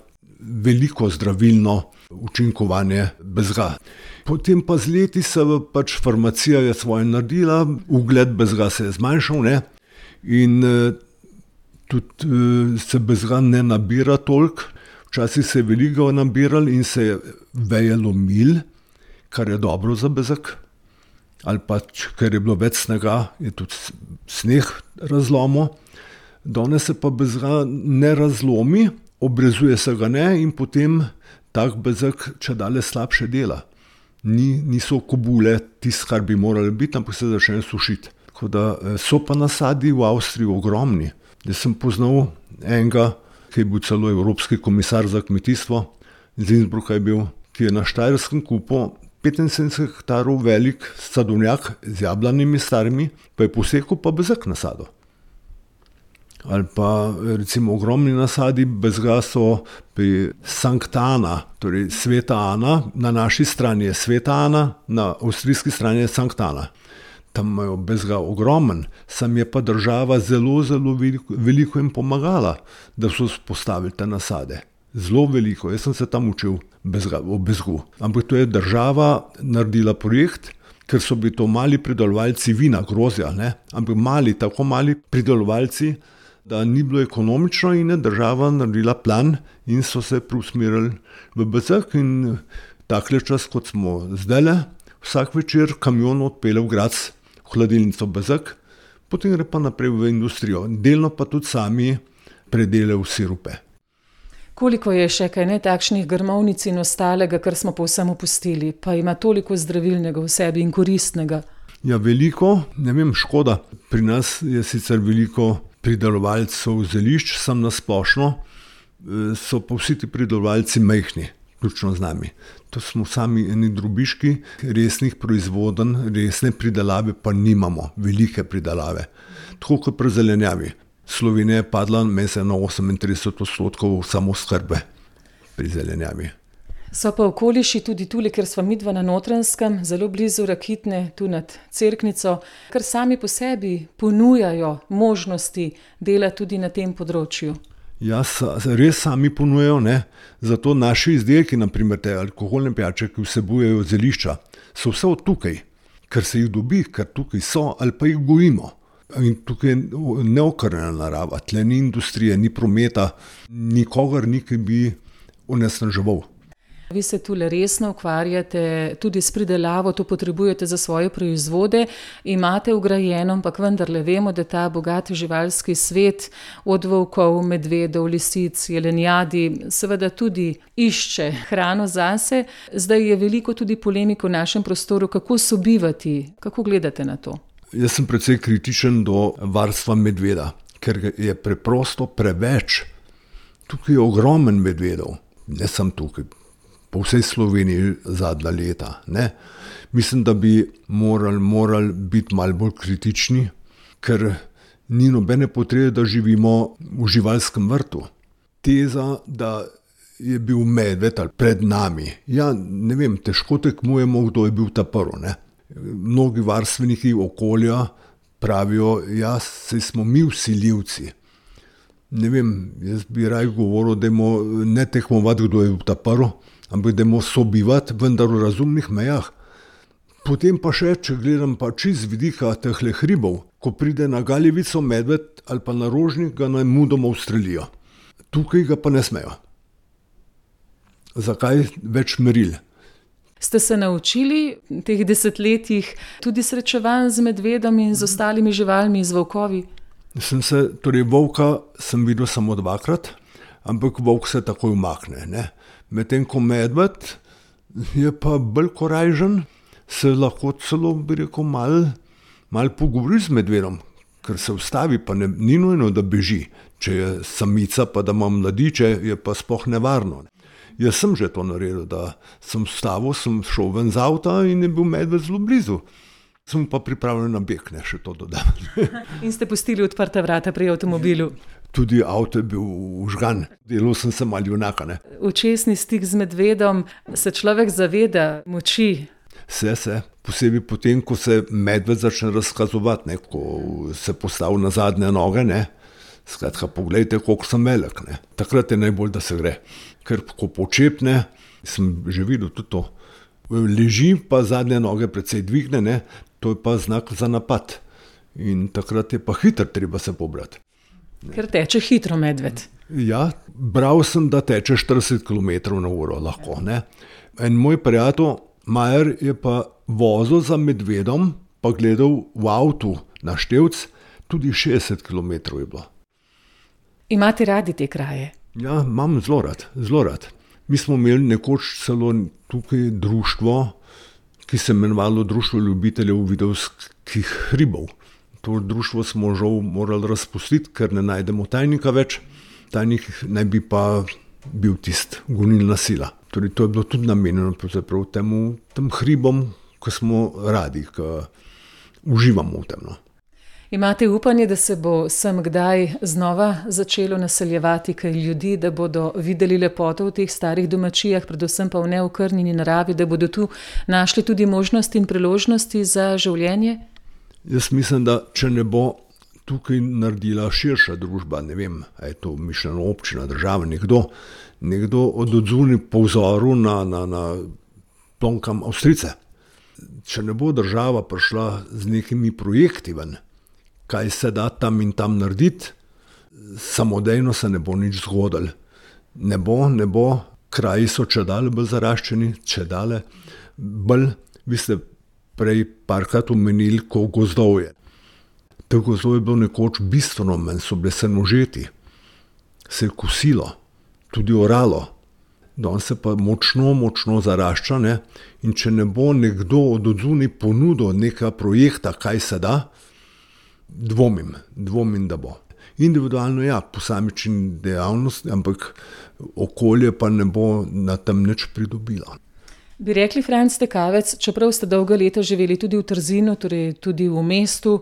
Speaker 4: veliko zdravilno učinkovanje bezga. Potem pa z leti se pač farmacija je svoje naredila, ugled bezga se je zmanjšal, ne, in eh, tudi eh, se bezga ne nabira toliko. Včasih se je veliko nabiral in se je veje lomil, kar je dobro za bezeg. Ali pa, ker je bilo več snega, je tudi sneg razlomil. Danes se pa bezga ne razlomi, obrezuje se ga ne in potem tak bezeg čedalje slabše dela. Ni, niso kobule tisto, kar bi morali biti, ampak se začne sušiti. Tako da so pa nasadi v Avstriji ogromni. Jaz sem poznal enega, ki je bil celo evropski komisar za kmetijstvo, iz Innsbrucka je bil, ki je na Štajerskem kupil petinsedemdeset hektarov velik sadovnjak z jablanimi starimi, pa je posekal pa bezeg nasado. Ali pa recimo ogromni nasadi bezga so pri Sankta Ana, torej Sveta Ana, na naši strani je Sveta Ana, na avstrijski strani je Sankta Ana. Tam imajo bezga ogromen, sam je pa država zelo, zelo veliko, veliko jim pomagala, da so postavili te nasade. Zelo veliko, jaz sem se tam učil bezga, o bezgu. Ampak to je država naredila projekt, ker so bili to mali pridelovalci vina, grozja, ne? Ampak mali, tako mali pridelovalci, da ni bilo ekonomično in je država naredila plan in so se preusmerili v bezeg in takle čas, kot smo zdajle, vsak večer kamion odpelje v Graz, v hladilnico bezeg, potem gre pa naprej v industrijo. Delno pa tudi sami predelajo sirupe.
Speaker 3: Koliko je še kaj ne takšnih grmovnic in ostalega, kar smo povsem opustili, pa ima toliko zdravilnega v sebi in koristnega?
Speaker 4: Ja, veliko, ne vem, škoda. Pri nas je sicer veliko pridelovalcev zelišč, sam na splošno, so pa vsi ti pridelovalci majhni, vključno z nami. To smo sami eni drobiški, resnih proizvodenj, resne pridelave pa nimamo, velike pridelave. Tako kot pri zelenjavi. Slovenija je padla mesec na osemintrideset odstotkov samooskrbe pri zelenjavi.
Speaker 3: So pa okoliši tudi tule, ker sva midva na Notranjskem, zelo blizu Rakitne, tu nad Cerknico, ker sami po sebi ponujajo možnosti dela tudi na tem področju.
Speaker 4: Ja, res sami ponujajo, ne. Zato naši izdelki, naprimer te alkoholne pijače, ki vsebujejo zelišča, so vse od tukaj, ker se jih dobi, ker tukaj so ali pa jih gojimo. In tukaj je neokrnjena narava, tle ni industrije, ni prometa, nikogar ni, ki bi onesnaževal.
Speaker 3: Vi se tule resno ukvarjate tudi s pridelavo, to potrebujete za svoje proizvode, imate vgrajeno, ampak vendarle vemo, da ta bogat živalski svet od volkov, medvedov, lisic, jelenjadi seveda tudi išče hrano zase. Zdaj je veliko tudi polemik v našem prostoru, kako sobivati, kako gledate na to?
Speaker 4: Jaz sem precej kritičen do varstva medveda, ker je preprosto preveč. Tukaj je ogromen medvedov, ne sem tukaj. Po vsej Sloveniji zadnja leta. Ne? Mislim, da bi morali, morali biti malo bolj kritični, ker ni nobene potrebe, da živimo v živalskem vrtu. Teza, da je bil medved ali pred nami, ja, ne vem, težko tekmujemo, kdo je bil ta prvi. Ne? Mnogi varstveniki okolja pravijo, ja, saj smo mi vsiljivci. Ne vem, jaz bi raj govoril, da je ne tekmovati, kdo je bil ta prvi, ampak da moramo sobivati, vendar v razumnih mejah. Potem pa še, če gledam pa čist z vidika tehle hribov, ko pride na Galjevico medved ali pa na Rožnik, ga naj mudoma ustrelijo. Tukaj ga pa ne smejo. Zakaj več meril?
Speaker 3: Ste se naučili v teh desetletjih tudi srečevanj z medvedom in z ostalimi živalmi, z volkovi?
Speaker 4: Sem se, torej volka sem videl samo dvakrat, ampak volk se takoj umakne, ne. Medtem ko medved je pa bolj korajžen, se lahko celo, bi rekel, malo mal pogovori z medvedom, ker se ustavi, pa ne, ni nujno, da beži. Če je samica, pa da ima mladiče, je pa sploh nevarno. Jaz sem že to naredil, da sem vstavil, sem šel ven z avta in je bil medved zelo blizu. Sem pa pripravljen na beg, ne, še to dodam.
Speaker 3: In ste pustili odprta vrata pri avtomobilu?
Speaker 4: Tudi avto je bil užgan, delal sem se malo junaka, ne.
Speaker 3: Očesni stik z medvedom, se človek zaveda moči?
Speaker 4: Se, se, posebej potem, ko se medved začne razkazovati, ne, ko se postavi na zadnje noge, ne. Skratka, poglejte, koliko sem velik, ne. Takrat je najbolj, da se gre. Ker ko počepne, sem že videl tudi to, leži pa zadnje noge precej dvigne, ne, to je pa znak za napad. In takrat je pa hitro treba se pobrati.
Speaker 3: Ker teče hitro medved.
Speaker 4: Ja, bral sem, da teče štirideset kilometrov na uro lahko. Ne? En moj prijatelj, Majer, je pa vozil za medvedom, pa gledal v avtu na števc, tudi šestdeset kilometrov je bilo.
Speaker 3: Imate radi te kraje?
Speaker 4: Ja, imam zelo rad, zelo rad. Mi smo imeli nekoč celo tukaj društvo, ki se imenovalo Društvo ljubiteljev vidovskih hribov. To društvo smo žal morali razpustiti, ker ne najdemo tajnika več. Tajnik naj bi pa bil tist gonilna sila. Torej, to je bilo tudi namenjeno temu, tem hribom, ki smo radi, ki uživamo v tem. No.
Speaker 3: Imate upanje, da se bo sem kdaj znova začelo naseljevati kaj ljudi, da bodo videli lepoto v teh starih domačijah, predvsem pa v neokrnjeni naravi, da bodo tu našli tudi možnosti in priložnosti za življenje?
Speaker 4: Jaz mislim, da če ne bo tukaj naredila širša družba, ne vem, a je to mišljeno občina, država, nekdo, nekdo od odzuni po vzoru na, na, na plonkam Avstrijce. Če ne bo država prišla z nekimi projekti ven, kaj se da tam in tam narediti, samodejno se ne bo nič zgodilo. Ne bo, ne bo, kraji so čedale bolj zaraščeni, čedale bolj, vi ste prej parkrat omenili, ko gozdov je. Teh gozdov je bilo nekoč bistveno manj, so bile senožeti, se je kosilo, tudi oralo. Danes se pa močno, močno zarašča, ne? In če ne bo nekdo od odzuni ponudil nekega projekta, kaj se da, dvomim, dvomim, da bo. Individualno ja, posamični dejavnost, ampak okolje pa ne bo na tem nič pridobilo.
Speaker 3: Bi rekli, Franc Tekavec, čeprav ste dolga leta živeli tudi v Trzinu, torej tudi v mestu,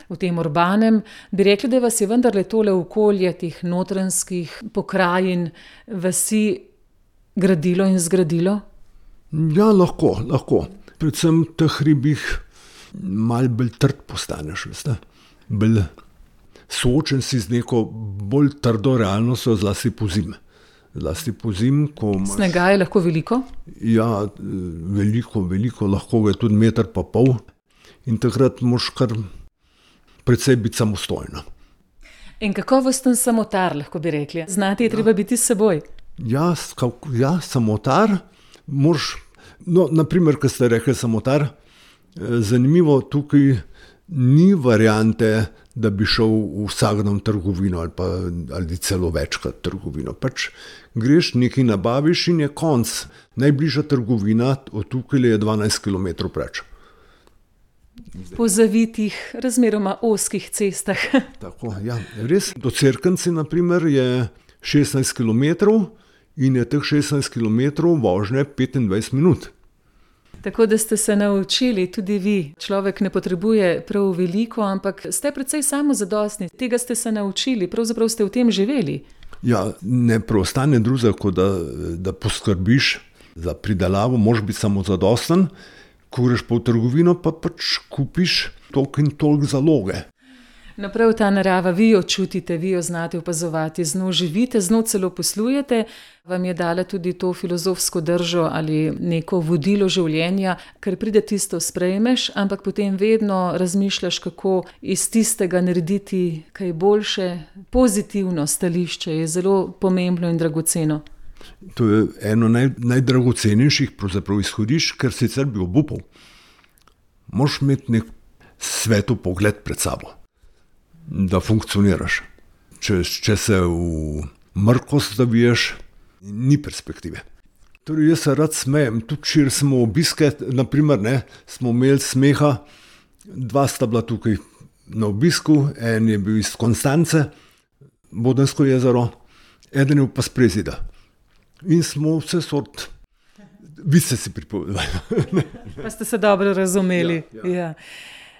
Speaker 3: v tem urbanem, bi rekli, da vas je vendarle tole okolje teh notranskih pokrajin, vasi gradilo in zgradilo?
Speaker 4: Ja, lahko, lahko. Predvsem v teh hribih malo bolj trd postaneš, veste. Bolj soočen si z neko bolj trdo realnostjo, zlasti pozimi. Zlasti pozimi, ko imaš...
Speaker 3: Snega je lahko veliko?
Speaker 4: Ja, veliko, veliko, lahko je tudi meter pa pol. In takrat moraš kar precej biti samostojna.
Speaker 3: In kakovosten samotar, lahko bi rekli. Znati je treba ja. biti s seboj.
Speaker 4: Ja, ja, samotar, moraš, no, naprimer, ko ste rekli samotar, zanimivo, tukaj ni variante, da bi šel v vsak dan trgovino ali pa ali celo večkrat trgovino. Pač greš, nekaj nabaviš in je konc. Najbližja trgovina od tukaj je dvanajst kilometrov preč.
Speaker 3: Po zavitih, razmeroma ozkih cestah.
Speaker 4: Tako, ja, res. Do Cerknice, na primer, je šestnajst kilometrov in je teh šestnajst kilometrov vožnje petindvajset minut.
Speaker 3: Tako da ste se naučili, tudi vi. Človek ne potrebuje prav veliko, ampak ste precej samozadostni. Tega ste se naučili, pravzaprav ste v tem živeli.
Speaker 4: Ja, ne preostane drugega, kot da, da poskrbiš za pridelavo, moraš biti samozadosten, ko greš pa v trgovino, pa pač kupiš toliko in toliko zaloge.
Speaker 3: No, prav ta narava, vi jo čutite, vi jo znate opazovati, z njo živite, z njo celo poslujete, vam je dala tudi to filozofsko držo ali neko vodilo življenja, ker pride tisto sprejmeš, ampak potem vedno razmišljaš, kako iz tistega narediti kaj boljše. Pozitivno stališče je zelo pomembno in dragoceno.
Speaker 4: To je eno naj, najdragocenejših pravzaprav izhodišč, ker sicer bi obupal. Moraš imeti nek svetu pogled pred sabo, da funkcioniraš. Če, če se v mrkost zaviješ, ni perspektive. Torej, jaz se rad smejem. Tudi če smo obiske, naprimer, ne, smo imeli smeha, dva sta bila tukaj na obisku, en je bil iz Konstance, Bodensko jezero, eden je pa z Prezida. In smo vse sort, vi ste si pripovedali.
Speaker 3: Pa ste se dobro razumeli.
Speaker 4: Ja, ja.
Speaker 3: Ja.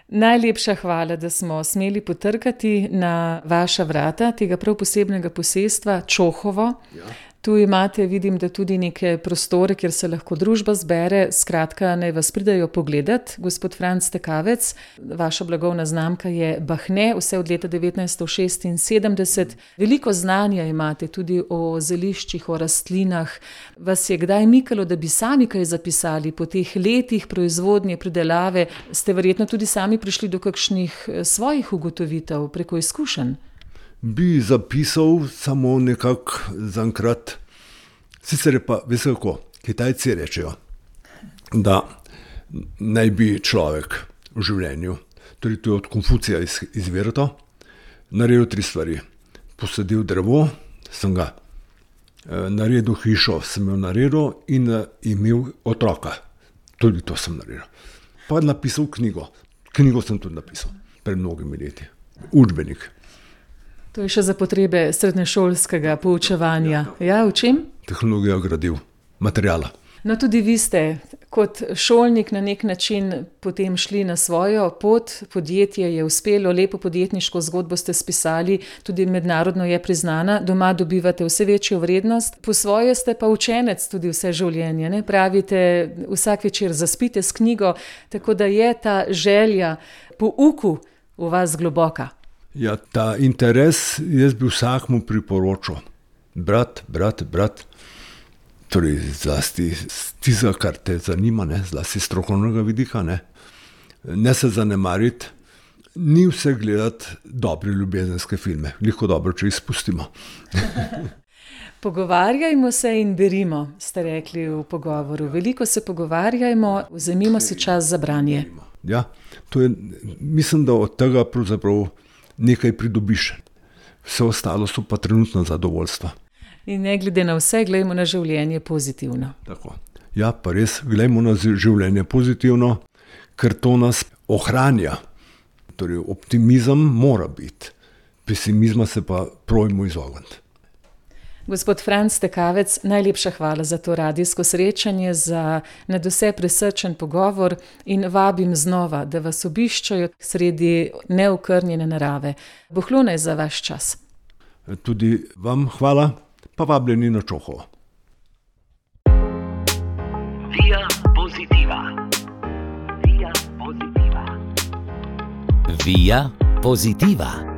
Speaker 3: Najlepša hvala, da smo smeli potrkati na vaša vrata tega prav posebnega posestva Čohovo.
Speaker 4: Ja.
Speaker 3: Tu imate, vidim, da tudi neke prostore, kjer se lahko družba zbere. Skratka, naj vas pridajo pogledat. Gospod Franc Tekavec, vaša blagovna znamka je Bahne, vse od leta devetnajststo šestinsedemdeset. Veliko znanja imate tudi o zeliščih, o rastlinah. Vas je kdaj mikalo, da bi sami kaj zapisali po teh letih proizvodnje, pridelave? Ste verjetno tudi sami prišli do kakšnih svojih ugotovitev preko izkušenj?
Speaker 4: bi zapisal samo nekako zaenkrat. Sicer je pa, veste kako, Kitajci rečejo, da naj bi človek v življenju, torej to je od Konfucija izviralo, naredil tri stvari. Posadil drevo, sem ga naredil, hišo sem jo naredil in imel otroka. Tudi to sem naredil. Pa napisal knjigo. Knjigo sem tudi napisal pred mnogimi leti. Učbenik.
Speaker 3: To je še za potrebe srednješolskega poučevanja. Ja, v čem?
Speaker 4: Tehnologija gradiv, materijala.
Speaker 3: No, tudi vi ste kot šolnik na nek način potem šli na svojo pot. Podjetje je uspelo, lepo podjetniško zgodbo ste spisali, tudi mednarodno je priznana, doma dobivate vse večjo vrednost. Po svoje ste pa učenec tudi vse življenje, ne? Pravite, vsak večer zaspite s knjigo, tako da je ta želja po uku v vas globoka.
Speaker 4: Ja, ta interes jaz bi vsakmu priporočil. Brat, brat, brat. Torej, zlasti tiza, kar te zanima, ne? Zlasti strokovnega vidika. Ne? ne se zanemariti, ni vse gledati dobre ljubezenske filme. Veliko dobro, če jih spustimo.
Speaker 3: Pogovarjajmo se in berimo, ste rekli v pogovoru. Veliko se pogovarjajmo, vzemimo si čas za branje.
Speaker 4: Ja, to je, mislim, da od tega pravzaprav nekaj pridobiš. Vse ostalo so pa trenutno zadovoljstva.
Speaker 3: In ne glede na vse, gledajmo na življenje pozitivno.
Speaker 4: Tako. Ja, pa res, gledajmo na življenje pozitivno, ker to nas ohranja. Torej, optimizem mora biti, pesimizma se pa probajmo izogniti.
Speaker 3: Gospod Franc Tekavec, najlepša hvala za to radijsko srečanje, za nadvse prisrčen pogovor in vabim znova, da vas obiščajo sredi neokrnjene narave. Bohlunaj za vaš čas.
Speaker 4: Tudi vam hvala. Pa vabljeni na Čohovo.
Speaker 1: Via Positiva. Via Positiva.
Speaker 2: Via Positiva.